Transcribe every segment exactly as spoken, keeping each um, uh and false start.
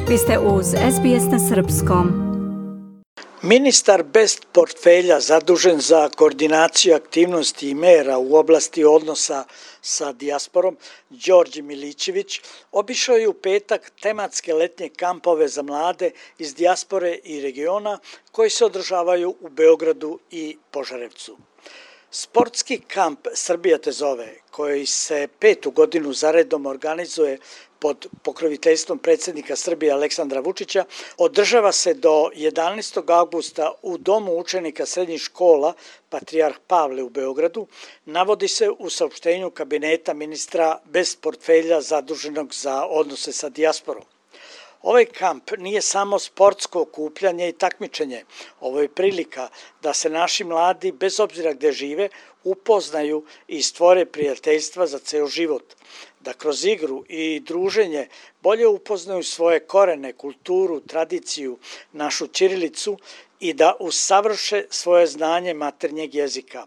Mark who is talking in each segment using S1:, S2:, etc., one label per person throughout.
S1: Vi ste uz S B S na srpskom.
S2: Ministar bez portfelja zadužen za koordinaciju aktivnosti i mera u oblasti odnosa sa dijasporom, Đorđe Milićević, obišao je u petak tematske letnje kampove za mlade iz dijaspore i regiona koji se održavaju u Beogradu i Požarevcu. Sportski kamp Srbija te zove, koji se petu godinu zaredom organizuje pod pokroviteljstvom predsjednika Srbije Aleksandra Vučića, održava se do jedanaestog avgusta u Domu učenika srednjih škola Patrijarh Pavle u Beogradu, navodi se u saopštenju kabineta ministra bez portfelja zaduženog za odnose sa dijasporom. Ovaj kamp nije samo sportsko okupljanje i takmičenje, ovo je prilika da se naši mladi, bez obzira gde žive, upoznaju i stvore prijateljstva za ceo život, da kroz igru i druženje bolje upoznaju svoje korene, kulturu, tradiciju, našu ćirilicu i da usavrše svoje znanje maternjeg jezika,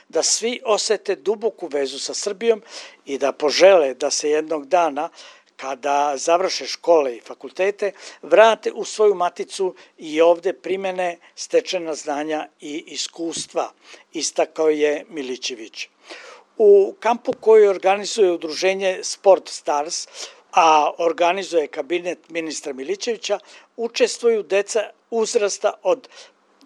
S2: da svi osete duboku vezu sa Srbijom i da požele da se jednog dana, kada završe škole i fakultete, vrate u svoju maticu i ovde primene stečena znanja i iskustva, istakao je Milićević. U kampu koji organizuje udruženje Sport Stars, a organizuje kabinet ministra Milićevića, učestvuju deca uzrasta od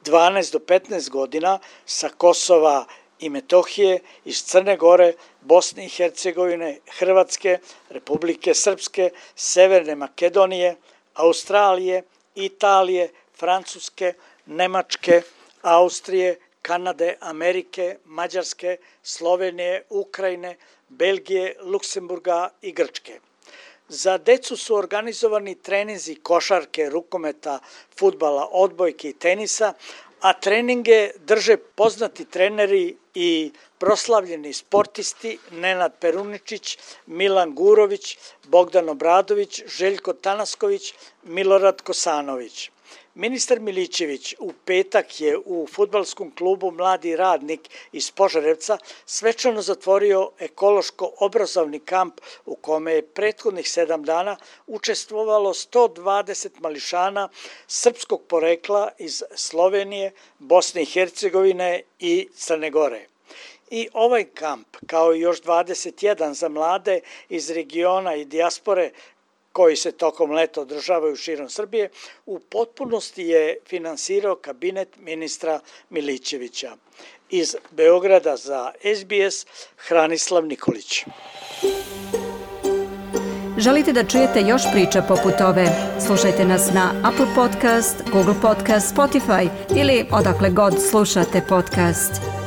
S2: dvanaest do petnaest godina sa Kosova i Metohije, iz Crne Gore, Bosne i Hercegovine, Hrvatske, Republike Srpske, Severne Makedonije, Australije, Italije, Francuske, Nemačke, Austrije, Kanade, Amerike, Mađarske, Slovenije, Ukrajine, Belgije, Luksemburga i Grčke. Za decu su organizovani treninzi košarke, rukometa, fudbala, odbojke i tenisa, a treninge drže poznati treneri i proslavljeni sportisti Nenad Peruničić, Milan Gurović, Bogdan Obradović, Željko Tanasković, Milorad Kosanović. Ministar Milićević u petak je u fudbalskom klubu Mladi radnik iz Požarevca svečano zatvorio ekološko-obrazovni kamp u kome je prethodnih sedam dana učestvovalo sto dvadeset mališana srpskog porekla iz Slovenije, Bosne i Hercegovine i Crne Gore. I ovaj kamp, kao i još dvadeset jedan za mlade iz regiona i dijaspore, koji se tokom leta održavaju širom Srbije, u potpunosti je finansirao kabinet ministra Milićevića. Iz Beograda za S B S, Hranislav Nikolić.
S1: Želite da čujete još priča poput ove? Slušajte nas na Apple Podcast, Google Podcast, Spotify ili odakle god slušate podcast.